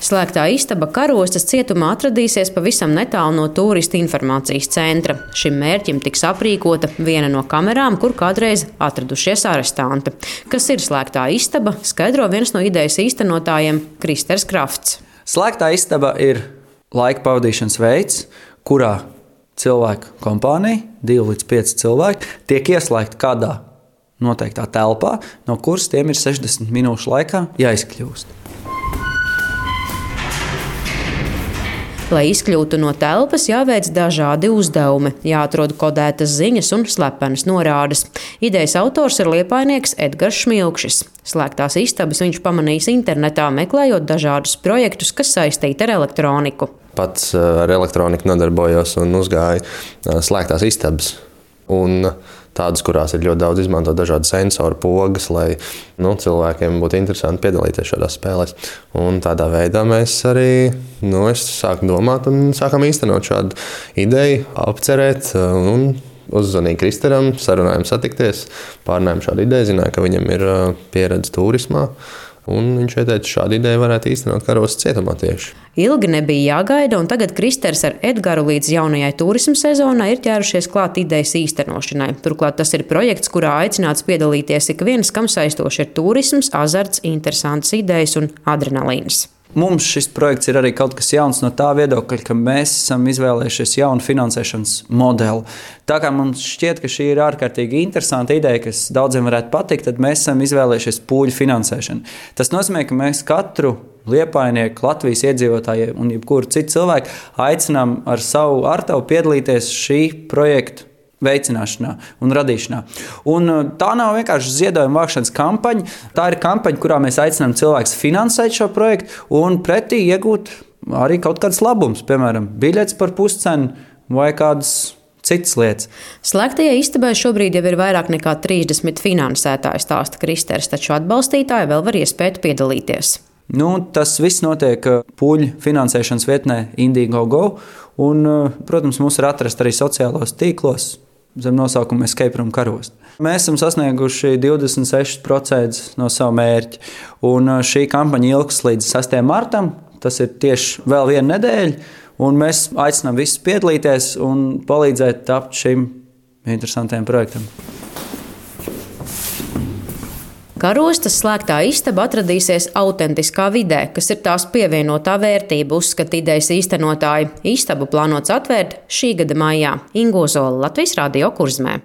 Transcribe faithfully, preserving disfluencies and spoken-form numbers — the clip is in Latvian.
Slēgtā istaba Karostas cietumā atradīsies pavisam netālu no turistu informācijas centra. Šim mērķim tiks aprīkota viena no kamerām, kur kādreiz atradušies arestanti. Kas ir slēgtā istaba, skaidro viens no idejas īstenotājiem Kristers Krafts. Slēgtā istaba ir laika pavadīšanas veids, kurā cilvēku kompānija, divi līdz pieci cilvēki, tiek ieslēgti kādā noteiktā telpā, no kuras tiem ir sešdesmit minūšu laikā jāizkļūst. Lai izkļūtu no telpas, jāveic dažādi uzdevumi, jāatrod kodētas ziņas un slepenas norādes. Idejas autors ir liepainieks Edgars Šmilkšis. Slēgtās istabas viņš pamanījis internetā, meklējot dažādus projektus, kas saistīti ar elektroniku. Pats ar elektroniku nodarbojos un uzgāju slēgtās istabas. Un tādas, kurās ir ļoti daudz izmantot dažādu sensoru pogas, lai nu, cilvēkiem būtu interesanti piedalīties šādās spēlēs. Un tādā veidā mēs arī nu, sākam domāt un sākam īstenot šādu ideju, apcerēt un uzzvanīju Kristeram, sarunājām satikties, pārnājām šādu ideju, zināju, ka viņam ir pieredze turismā. Un viņš ieteica, ka šādu ideju varētu īstenot Karostas cietumā tieši. Ilgi nebija jāgaida, un tagad Kristers ar Edgaru līdz jaunajai turisma sezonai ir ķērušies klāt idejas īstenošanai. Turklāt tas ir projekts, kurā aicināts piedalīties ik viens, kam saistoši ir turisms, azarts, interesantas idejas un adrenalīns. Mums šis projekts ir arī kaut kas jauns no tā viedokļa, ka mēs esam izvēlējušies jaunu finansēšanas modeli. Tā kā mums šķiet, ka šī ir ārkārtīgi interesanta ideja, kas daudziem varētu patikt, tad mēs esam izvēlējušies pūļu finansēšanu. Tas nozīmē, ka mēs katru liepainieku, Latvijas iedzīvotājiem un jebkuru citu cilvēku aicinām ar savu artavu piedalīties šī projekta veicināšanā un radīšanā. Un tā nav vienkārši ziedojuma vākšanas kampaņa. Tā ir kampaņa, kurā mēs aicinām cilvēkus finansēt šo projektu un pretī iegūt arī kaut kāds labums, piemēram, biļetes par puscenu vai kādas citas lietas. Slēgtajai istabai šobrīd jau ir vairāk nekā trīsdesmit finansētāji, stāsta Kristers, taču atbalstītāji vēl var iespēt piedalīties. Nu, tas viss notiek pūļu finansēšanas vietnē Indiegogo, un, protams, mums ir atrast arī sociālos tīklos zem nosaukuma Escape Room Karosta. Mēs esam sasnieguši divdesmit seši procenti no savu mērķi, un šī kampaņa ilgs līdz sastajam martam, tas ir tieši vēl viena nedēļa, un mēs aicinām visus piedalīties un palīdzēt tapt šim interesantajam projektam. Karostas slēgtā istaba atradīsies autentiskā vidē, kas ir tās pievienotā vērtība, uzskata idejas īstenotāji. Istabu plānots atvērt šī gada maijā. Ingo Zola, Latvijas Radio Kurzmē.